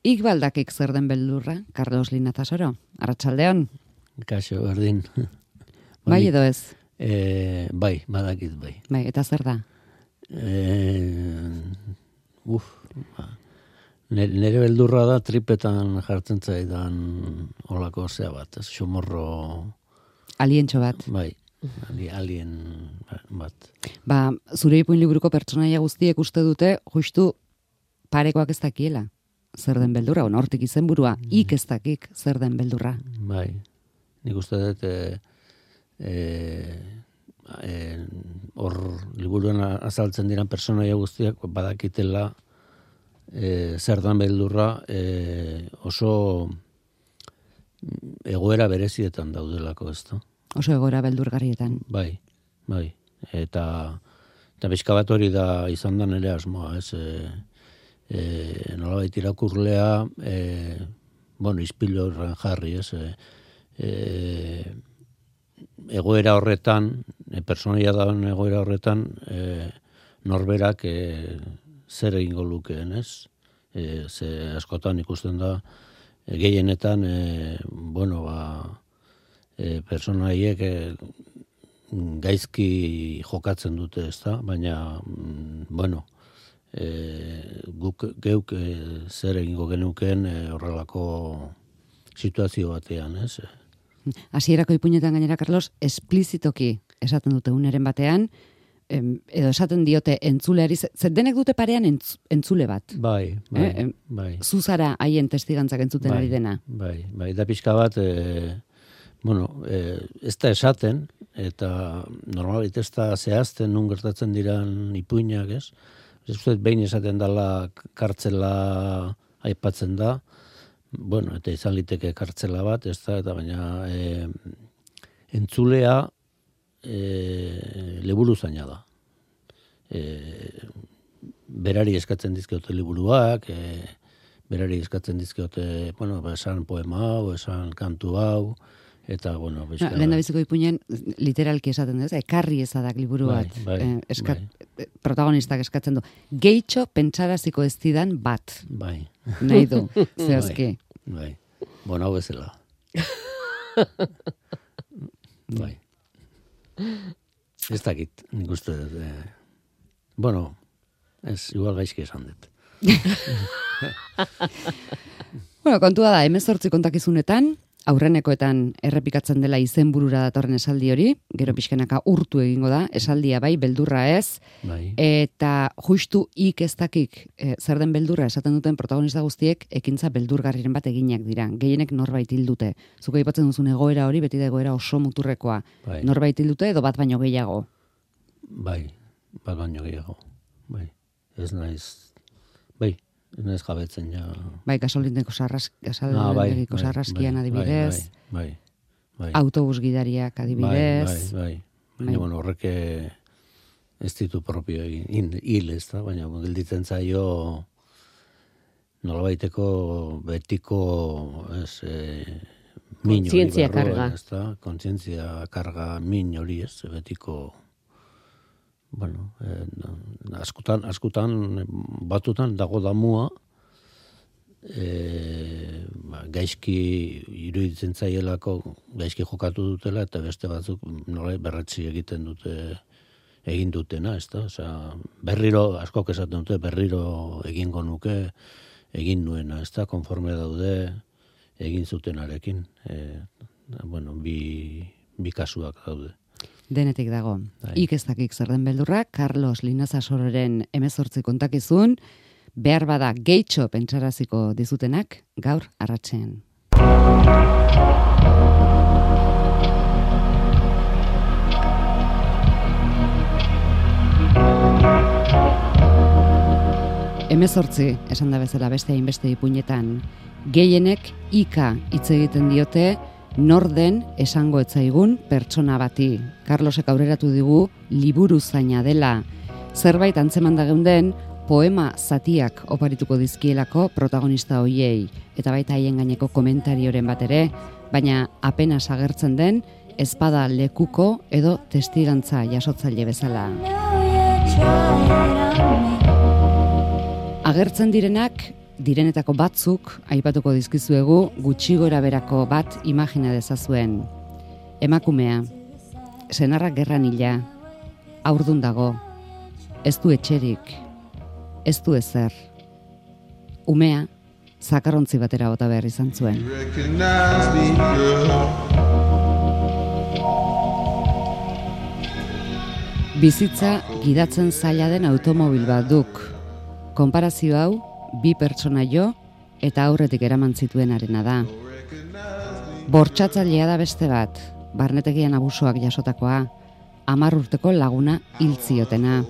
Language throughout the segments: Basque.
Ik baldakik zer den beldurra, Carlos Linazasoro. Arratsaldeon. Kaixo, berdin. Bai edo ez? Bai, badakit bai. Bai, eta zer da? Nere beldurra da tripetan jartzen zaidan olako zea bat, xumorro... Alientxo bat. Bai, alien bat. Ba, zure ipuin liburuko pertsonaia guztiek uste dute, justu parekoak ez dakiela. Zer den beldurra, hortik izenburua, ik ez dakik zer den beldurra. Bai, nik uste dut hor liburuan azaltzen diran pertsonaia guztiak badakitela zer den beldurra oso egoera berezietan daudelako, ez da? Oso egoera beldurgarrietan. Bai. Eta pixka bat hori da izan da nire asmoa, ez? Nolabait irakurlea, ispilu horren jarri, ez? Egoera horretan, personaia dauen egoera horretan, norberak zer egingo lukeen, ez? Ze askotan ikusten da, gehienetan, personaiek gaizki jokatzen dute, ez da? Baina, geuk zer egingo genukeen horrelako situazio batean, ez? Hasierako ipuinetan gainera, Carlos, esplizitoki esaten dute uneren batean, edo esaten diote entzuleari, denek dute parean entzule bat. Bai. Zuzara haien testigantzak entzuten ari dena. Bai, da pixka bat, ez da esaten, eta normalit ez da zehazten nun gertatzen diran ipuinak, ez? Ez uste behin esaten dela kartzela aipatzen da, eta izan liteke kartzela bat, ez da, eta baina entzulea liburu zaina da. Berari eskatzen dizkiote liburuak, berari eskatzen dizkiote, esan poema hau, esan kantu hau, eta, lehen da biziko ipuinen, literalki esaten duz, ekarri ezadak liburu bat. Protagonistak eskatzen du. Gehitxo pentsaraziko ez didan bat. Bai. Nahi du, zehazki. Bai. Hau bezala. Bai. Ez dakit, nik uste dut. Igual gaizki esan dut. Kontua da, 18 kontakizunetan, aurrenekoetan errepikatzen dela izenburura datorren esaldi hori, gero pixkanaka urtu egingo da, esaldia bai, beldurra ez, bai. Eta justu ik ez dakik zer den beldurra esaten duten protagonista guztiek ekintza beldurgarriren bat eginak dira. Gehienek norbait hildute. Zuko aipatzen duzun egoera hori, beti da egoera oso muturrekoa. Bai. Norbait hildute edo bat baino gehiago. Bai, bat baino gehiago. Bai, ez naiz jabetzen ja. Bai, gasolindeko sarraskian adibidez. Bai. Autobus gidariak adibidez. Bai. Baina, horrek ez ditu propio hil, ez da, baina gelditzen zaio nolabaiteko betiko min hori barruan, ez da, kontzientzia karga min hori, ez, betiko askotan batutan dago damua gaizki iruditzen zaielako gaizki jokatu dutela eta beste batzuk nola berretsi egin dutena, ez da? Osea, berriro, askok esaten dute, berriro egingo nuke, egin nuena, ez da? Konforme daude egin zutenarekin. Bi kasuak daude. Denetik dago. Ik ez dakik zer den beldurra, Carlos Linazasororen 18 kontakizun, behar bada gehitxo pentsaraziko dizutenak, gaur arratsean. Hemezortzi, esan da bezala beste hainbeste ipuinetan, gehienek ika hitz egiten diote, norden esango etzaigun pertsona bati. Carlosek aurreratu digu liburu zaina dela. Zerbait antzeman da geunden, poema zatiak oparituko dizkielako protagonista hoiei, eta baita haien gaineko komentarioren bat ere, baina apenas agertzen den, ezpada lekuko edo testigantza jasotzaile bezala. Agertzen direnak direnetako batzuk aipatuko dizkizuegu gutxi gora berako bat imagina dezazuen. Emakumea, senarrak gerran hila, haurdun dago, ez du etxerik, ez du ezer. Umea, zakarrontzi batera bota behar izan zuen. Bizitza gidatzen zaila den automobil bat duk. Konparazio hau, 2 pertsona jo eta aurretik eraman zituenarena da. Bortxatzailea da beste bat, barnetegian abusoak jasotakoa, 10 urteko laguna hil ziotena.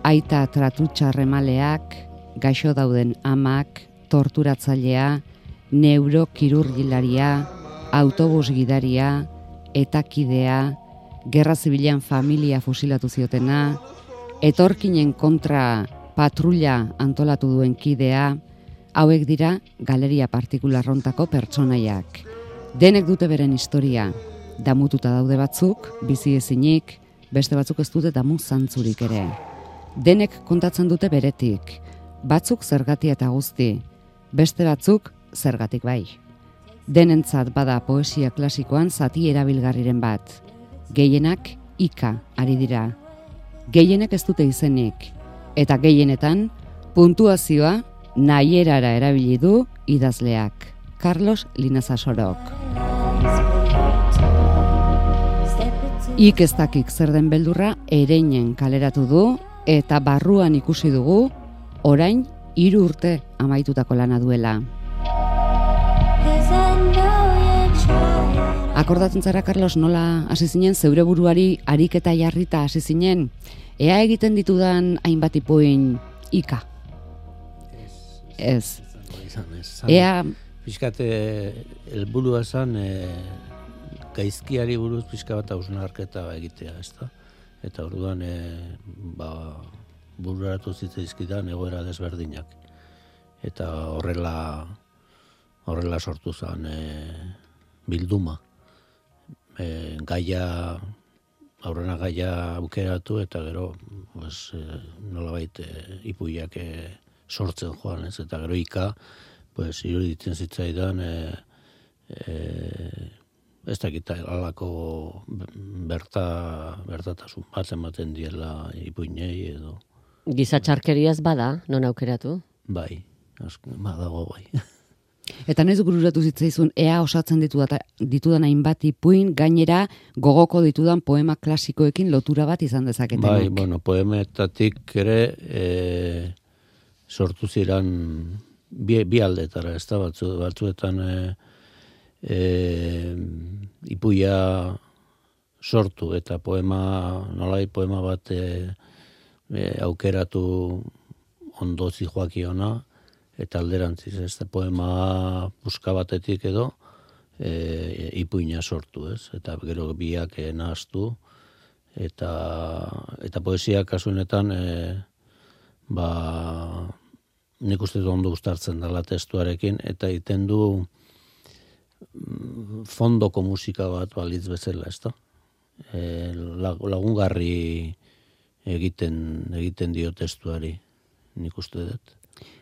Aita tratutxarremaleak, gaixo dauden amak, torturatzailea, neurokirurgilaria, autobus gidaria, etakidea, gerra zibilean familia fusilatu ziotena, etorkinen kontra patrulla antolatu duen kidea, hauek dira galeria partikularrontako pertsonaiak. Denek dute beren historia, damututa daude batzuk, bizi ezinik, beste batzuk ez dute damu zantzurik ere. Denek kontatzen dute beretik, batzuk zergatia eta guzti, beste batzuk zergatik bai. Denentzat bada poesia klasikoan zati erabilgarriren bat. Gehienak ika ari dira. Gehienek ez dute izenik. Eta gehienetan puntuazioa nahierara erabili du idazleak. Carlos Linazasorok. Ik ez dakik zer den beldurra ereinen kaleratu du eta barruan ikusi dugu orain 3 urte amaitutako lana duela. Akordatzen zara, Carlos, nola hasi zinen, zeure buruari ariketa jarrita hasi zinen, ea egiten ditudan hainbat ipuin ika? Ez. Ea... Piskate, helburua zan, gaizkiari buruz pixka bat hausnarketa egitea, ezta? Eta orduan, bururatu zitzaizkidan egoera desberdinak. Eta horrela sortu zen bilduma. Aurrena gaia aukeratu eta gero nolabait ipuiak sortzen joan, ez? Eta gero ika, iruditzen zitzaidan ez dakit alako bertatasun bat ematen diela ipuinei edo. Gizatxarkeriaz bada, non aukeratu? Bai, badago bai. Eta nahiz bururatu zitzaizun, ea osatzen ditudan hainbat ipuin, gainera gogoko ditudan poema klasikoekin lotura bat izan dezaketenak. Bai, poemetatik ere sortu ziren bi aldetara, ez da, batzuetan ipuia sortu eta poema bat aukeratu ondo zijoakiona, eta alderantziz, ez da, poema buska batetik edo ipuina sortu, ez? Eta gero biak nahaztu, eta poesia kasunetan nik uste du ondo uztartzen dela testuarekin, eta egiten du fondoko musika bat balitz bezala, ez da? Lagungarri egiten dio testuari, nik uste dut.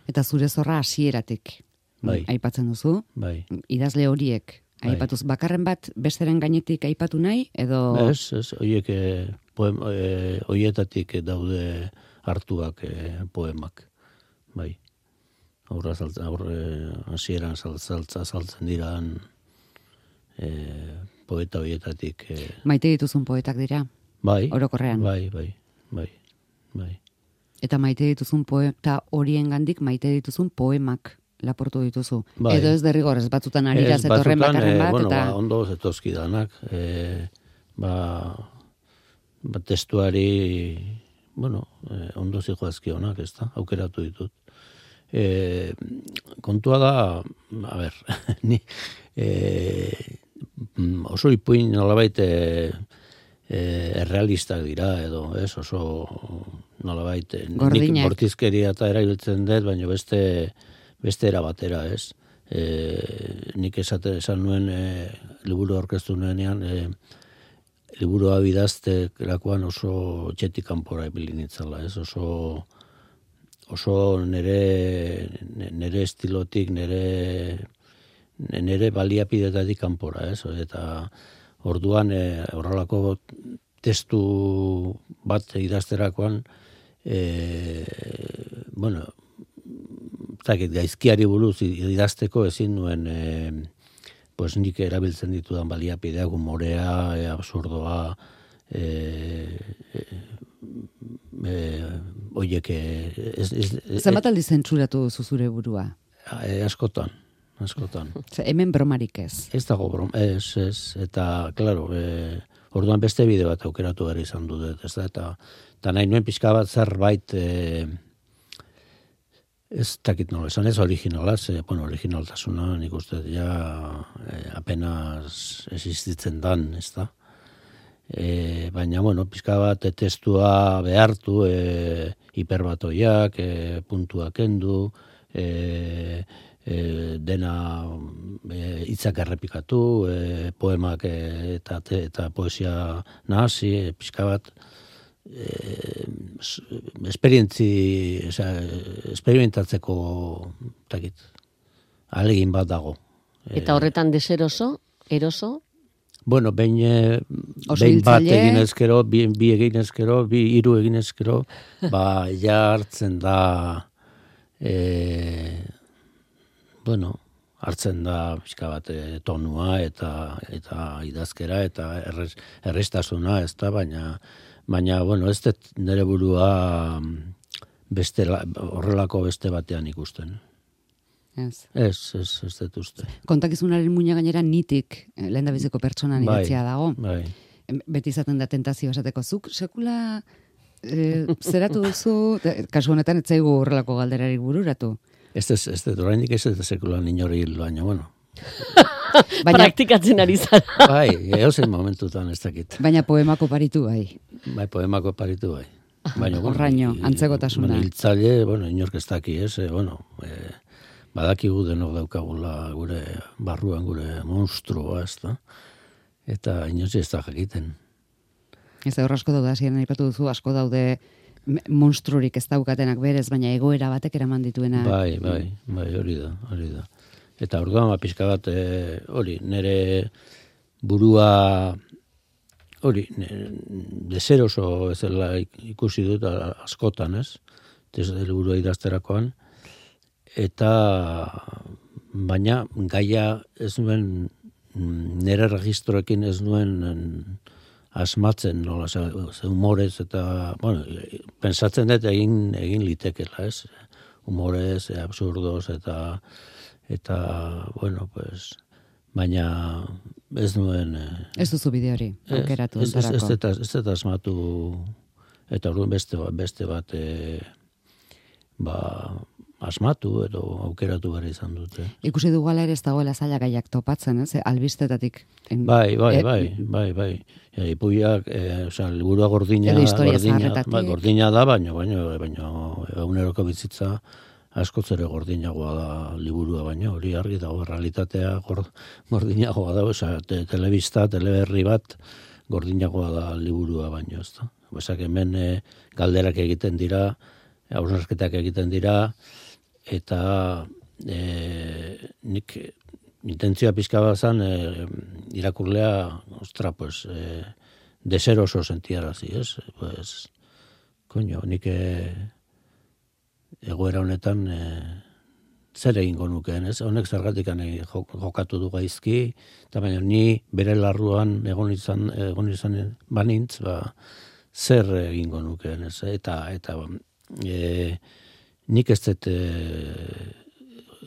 Eta zure zorra hasieratik aipatzen duzu, idazle horiek aipatuz, bakarren bat besteren gainetik aipatu nahi, edo... Ez, horiek horietatik daude hartuak poemak, bai. Aurre hasieran saltzen diran poeta horietatik. Maite dituzun poetak dira? Bai. Orokorrean? Bai. Eta maite dituzun poeta horiengandik maite dituzun poemak laportu dituzu. Bai. Edo ez derrigorrez, batzutan arira zetorren bakarren bat, eta... Ondo zetozki danak. Testuari, ondo zijoazkionak, ez da, aukeratu ditut. Kontua da, oso ipuin nolabait errealistak dira, edo, ez, oso nolabait, nik bortizkeria eta erabiltzen dut, baina beste erabatera, ez. Nik esan nuen liburu aurkeztu nuenean, liburua bidazterakoan oso txetik kanpora ibili nitzala, ez, oso nere estilotik, nere baliapidetatik kanpora, ez? Eta orduan horrelako testu bat idazterakoan, gaizkiari buruz idazteko ezin nuen, pues nik erabiltzen ditudan baliapideak, humorea, absurdoa, oiek... Zenbat aldiz zentzuratu duzu zure burua? Askotan. Hemen bromarik ez. Ez dago ez. Eta, klaro, orduan beste bideo bat aukeratu behar izan dut, ez da, eta nahi nuen pixka bat zerbait, ez dakit nola, esan ez originalaz, originaltasuna nik uste ja apenas existitzen dan, ez da. Baina, pixka bat testua behartu, hiperbatoiak, puntuak kendu, dena hitzak errepikatu, poemak eta poesia nahasi, pixka bat esperimentatzeko ahalegin bat dago. Eta horretan deseroso, eroso? Behin bat egin ezkero, bi egin ezkero, hiru egin ezkero, ja hartzen da hartzen da pixka bat tonua eta idazkera eta errestasuna, ez da, baina ez dut nire burua horrelako beste batean ikusten. Ez dut uste. Kontakizunaren muina gainera nitik, lehendabiziko pertsonan idatzia dago. Bai. Beti izaten da tentazio esateko, zuk sekula zeratu duzu, kasu honetan ez zaigu horrelako galderarik bururatu. Ez dut, orainik ez dut sekula inori hil, baina, praktikatzen ari zara. Bai, eozein momentutan ez dakit. Baina poemako paritu bai. Bai, poemako paritu bai. Horraino, antzekotasuna. Hiltzaile, inork ez daki, badakigu denok daukagula gure barruan, gure monstrua, ez da? Eta inozi ez da jakiten. Ez da, hor asko daude, hasieran aipatu duzu, asko daude monstrurik ez daukatenak berez, baina egoera batek eraman dituena. Bai, hori da. Eta orduan, pixka bat, nire burua, deseroso ezela ikusi dut askotan, ez? Desde burua idazterakoan. Eta, baina, gaia ez nuen, nire registroekin ez nuen asmatzen, nola, humorez eta, pensatzen dut egin litekela, ez? Humorez, absurdoz eta, baina ez nuen... Ez duzu bideori, aukeratu entarako. Ez dut asmatu, eta orduan beste bat, asmatu edo aukeratu behar izan dute. Ikusi dugala ere ez dagoela zaila gaiak topatzen, ez? Albistetatik. Bai. Ipuiak, liburua gordina da, baina eguneroko bizitza askoz ere gordinagoa da liburua, baina hori argi dago, realitatea gordinagoa da, telebista, teleberri bat gordinagoa da liburua, baina ez da. Besak hemen galderak egiten dira, hausnarketak egiten dira, eta nik intentzioa pixka bat zan irakurlea, deseroso sentiarazi, ez? Nik egoera honetan zer egingo nukeen, ez? Honek zergatik jokatu du gaizki, eta baina ni bere larruan egon izan banintz, zer egingo nukeen, ez? Eta nik ez dut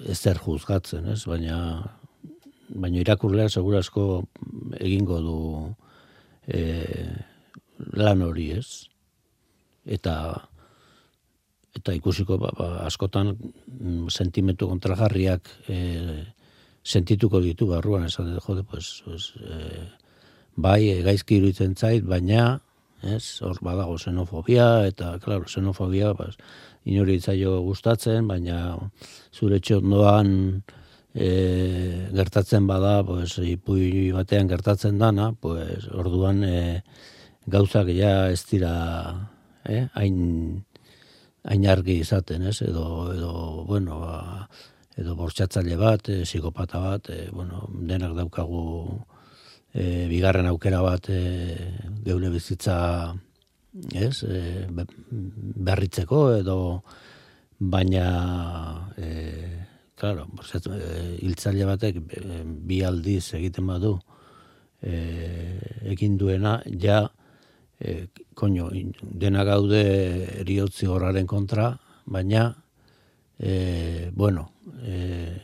ezer juzgatzen, ez? Baina irakurlea segurasko egingo du lan hori, ez? Eta ikusiko askotan sentimentu kontrajarriak sentituko ditu barruan, esan jode, bai, gaizki iruditzen zait, baina hor badago xenofobia, eta, klaro, xenofobia, inori itzaio gustatzen, baina zure txondoan gertatzen bada, ipui batean gertatzen dana, orduan gauzak ja ez dira hain ainargi izaten, ez? Edo bueno, edo bortxatzaile bat, psikopata bat, bueno, denak daukagu bigarren aukera bat geure bizitza, ez? Berritzeko edo baina claro, hiltzaile batek bi aldiz egiten badu egin duena, ja dena gaude eriotzi horraren kontra, baina bueno,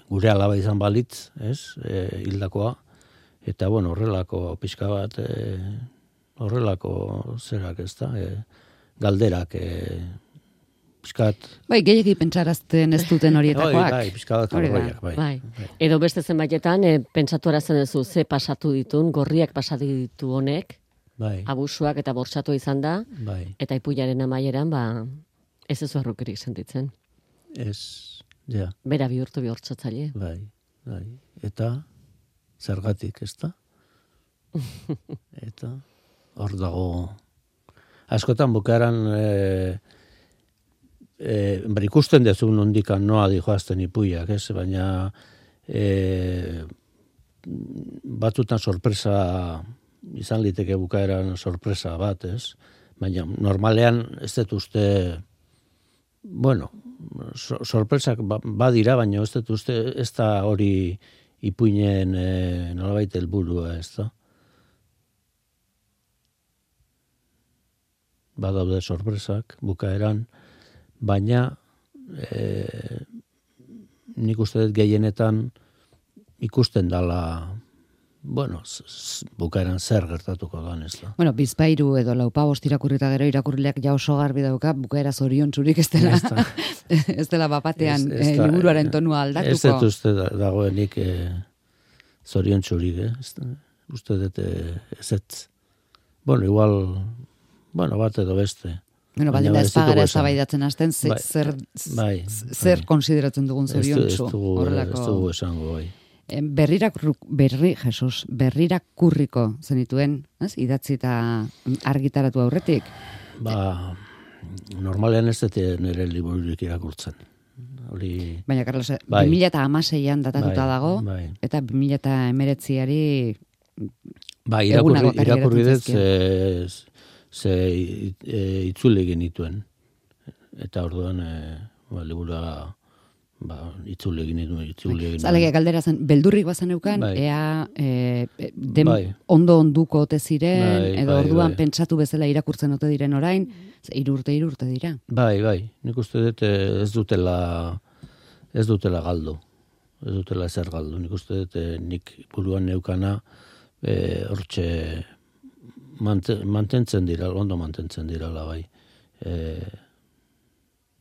gure alaba izan balitz, ez? Hildakoa, eta bueno, horrelako pixka bat, horrelako zerak, ez da, galderak, pixkat. Bai, gehiagi pentsarazten ez duten horietakoak. Bai, pixka bat horreiak, bai. Edo beste zenbaitetan, pentsatu arazen duzu, ze pasatu ditun, gorriak pasatu ditu honek, bai. Abusuak eta bortxatu izan da, Bai. eta ipuilaren amaieran, ez ez errukerik sentitzen. Ez, ja. Bera bihurtu bihurtzatzaile. Bai. Eta zergatik, ez da? Eta hor dago. Askotan bukaeran ikusten dezu nondikan noa dijoazten ipuiak, ez? Baina batzutan sorpresa izan liteke bukaeran sorpresa bat, ez? Baina normalean ez dut uste, bueno, sorpresak badira, baina ez dut uste ez da hori ipuinen nolabait helburua, ez da? Badaude sorpresak bukaeran, baina nik uste dut gehienetan ikusten dala, bueno, bukaeran zer gertatuko dan, ez da. Bueno, bizpairu edo laupabost irakurrita gero irakurrileak ja oso garbi dauka, bukaera zoriontsurik ez dela, ez dela bapatean liburuaren tonua aldatuko. Ez dut uste dagoenik zoriontsurik, uste dut ez. Bueno, igual, bat edo beste. Bueno, baldin ez pagara eztabaidatzen hasten, zer konsideratzen dugun zoriontsu horrelako. Ez dugu esango, bai. Berrirakurriko zenituen, idatzi eta argitaratu aurretik? Normalean ez dut nire libururik irakurtzen. Baina, Carlos, 2016an datatuta dago, eta 2019ari irakurri dut ze itzule egin dituen. Eta orduan, liburua itzule egin dituen. Zalege, galdera zen, beldurrik bazen eukan, ea ondo onduko ote ziren, edo orduan pentsatu bezala irakurtzen ote diren orain, 3 urte dira. Bai, nik uste dut ez dutela galdu. Ez dutela ezer galdu. Nik uste dut nik buruan neukana hortxe mantentzen dira, ondo mantentzen dira, bai.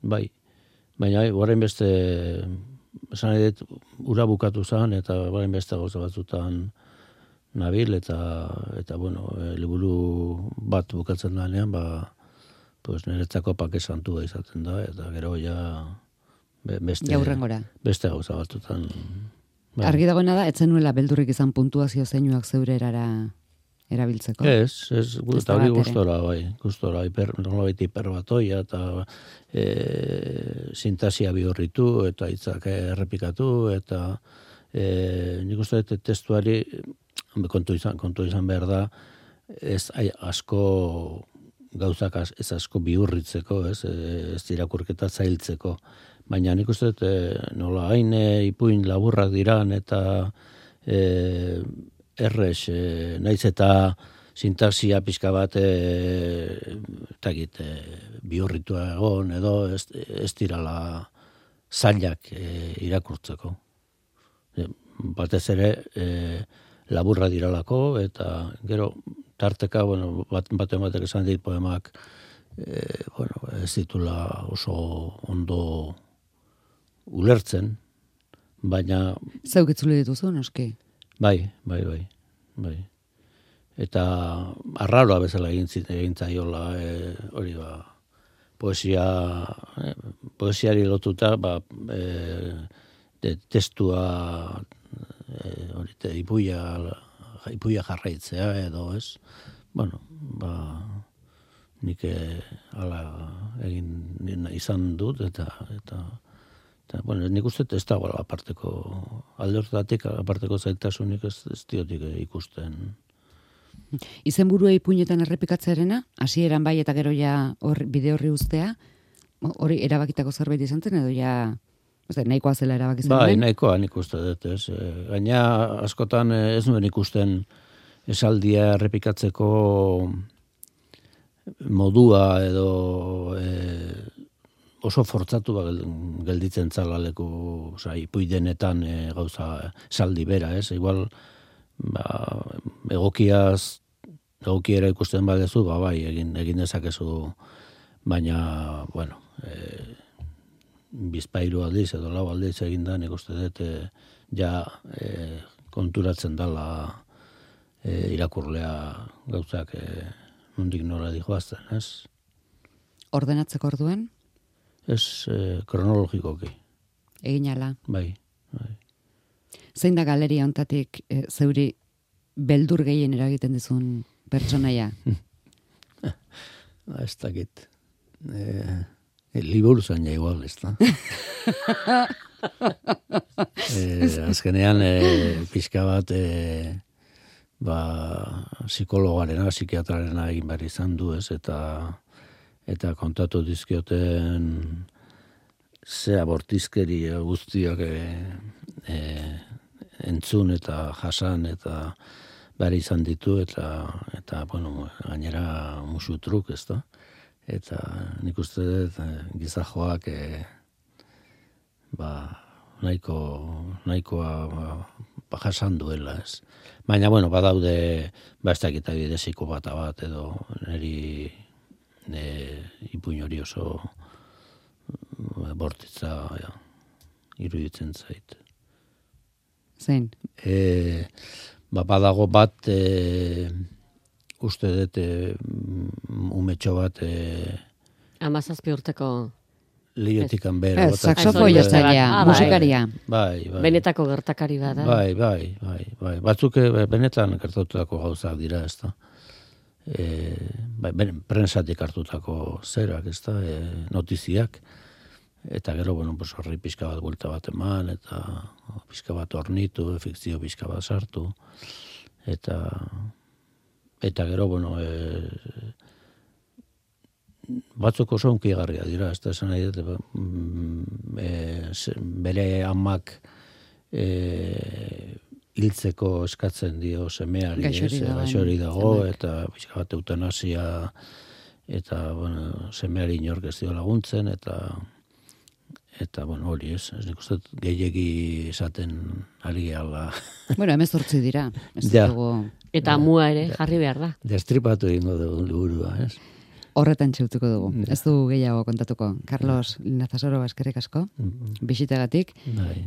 Bai. Baina, orain beste, esan edit, ura bukatu zen, eta orain beste gauza batzutan nabil, eta bueno, liburu bat bukatzen danean, niretzako pake santua izaten da, eta gero ja beste gauza batzutan. Argi dagoena da, etzen nuela beldurrik izan puntuazio zeinuak zeure erara erabiltzeko. Ez, eta hori gustora, nolabait hiperbatoia, eta sintasia bihurritu, eta hitzak errepikatu, eta nik uste dut testuari kontu izan behar da, ez asko gauzak ez asko bihurritzeko, ez irakurketa zailtzeko. Baina nik uste dut nola hain ipuin laburrak diran, eta errez, naiz eta sintaxia pixka bat bihurritua egon, edo ez dirala zailak irakurtzeko. Batez ere laburra diralako, eta gero tarteka, batek esan dit poemak, ez ditula oso ondo ulertzen, baina... Zeukitzule dituzu, noski? Bai. Eta arraroa bezala egin zaiola, hori poesiari lotuta, testua, ipuia jarraitzea, edo ez. Bueno, nik hala egin izan dut, eta bueno, nik uste ez dago aparteko, alde horretatik aparteko zailtasunik ez diotik ikusten. Izenburua ipuinetan errepikatzearena, hasieran bai eta gero ja bide horri uztea, hori erabakitako zerbait izan zen, edo ja, nahikoa zela erabaki zen? Bai, nahikoa nik uste dut, ez. Gaina askotan ez nuen ikusten esaldia errepikatzeko modua edo oso fortzatu gelditzen zalaleko, ipuidenetan gauza esaldi bera, ez. Igual, egokiera ikusten badezu, bai, egin dezakezu, baina, bueno, bizpairu aldiz edo lau aldiz egin da, nik uste dut, konturatzen dala irakurlea gauzak nondik nora dijoazten, ez? Ordenatzeko orduan? Ez kronologikoki. Egin ala? Bai. Zein da galeria hontatik zeuri beldur gehien eragiten dizun pertsonaia? Ez dakit. Liburu zaina igual, ez da. Azkenean, pixka bat, psikologarena, psikiatrarena egin behar izan du, ez, eta kontatu dizkioten zea bortizkeria guztiak entzun eta jasan eta behar izan ditu, eta bueno, gainera musu truk, ez da. Eta nik uste dut gizajoak nahikoa jasan duela, ez. Baina, bueno, badaude ez bide psikopata bat edo niri ipuin hori oso bortitza iruditzen zait. Zein? Badago bat uste dut umetxo bat 17 urteko liotikan bera. Saxofoi jotzailea, musikaria. Bai. Benetako gertakari bada. Bai. Batzuk benetan gertatutako gauzak dira, ez da. Prensatik hartutako zerak, ez da, notiziak. Eta gero, bueno, horri pixka bat buelta bat eman, eta pixka bat ornitu, fikzio pixka bat sartu. Eta gero, bueno, batzuk oso unkigarria dira, ez da esan nahi dut, bere amak hiltzeko eskatzen dio semeari, gaixori dago, eta pixka bat eutanasia, eta, bueno, semeari inork ez dio laguntzen, eta bueno, hori ez nik uste gehiegi esaten ari ala. Bueno, 18 dira. Eta amua ere jarri behar da. Destripatu egingo dugu liburua, ez? Horretan txeutuko dugu. Ez du gehiago kontatuko. Carlos Linazasoro, eskerrik asko, bisitagatik.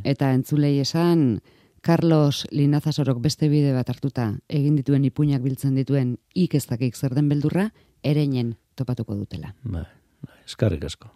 Eta entzulei esan, Carlos Linazasorok beste bide bat hartuta egin dituen ipuinak biltzen dituen ikestakik zer den beldurra, ereinen topatuko dutela. Eskerrik asko.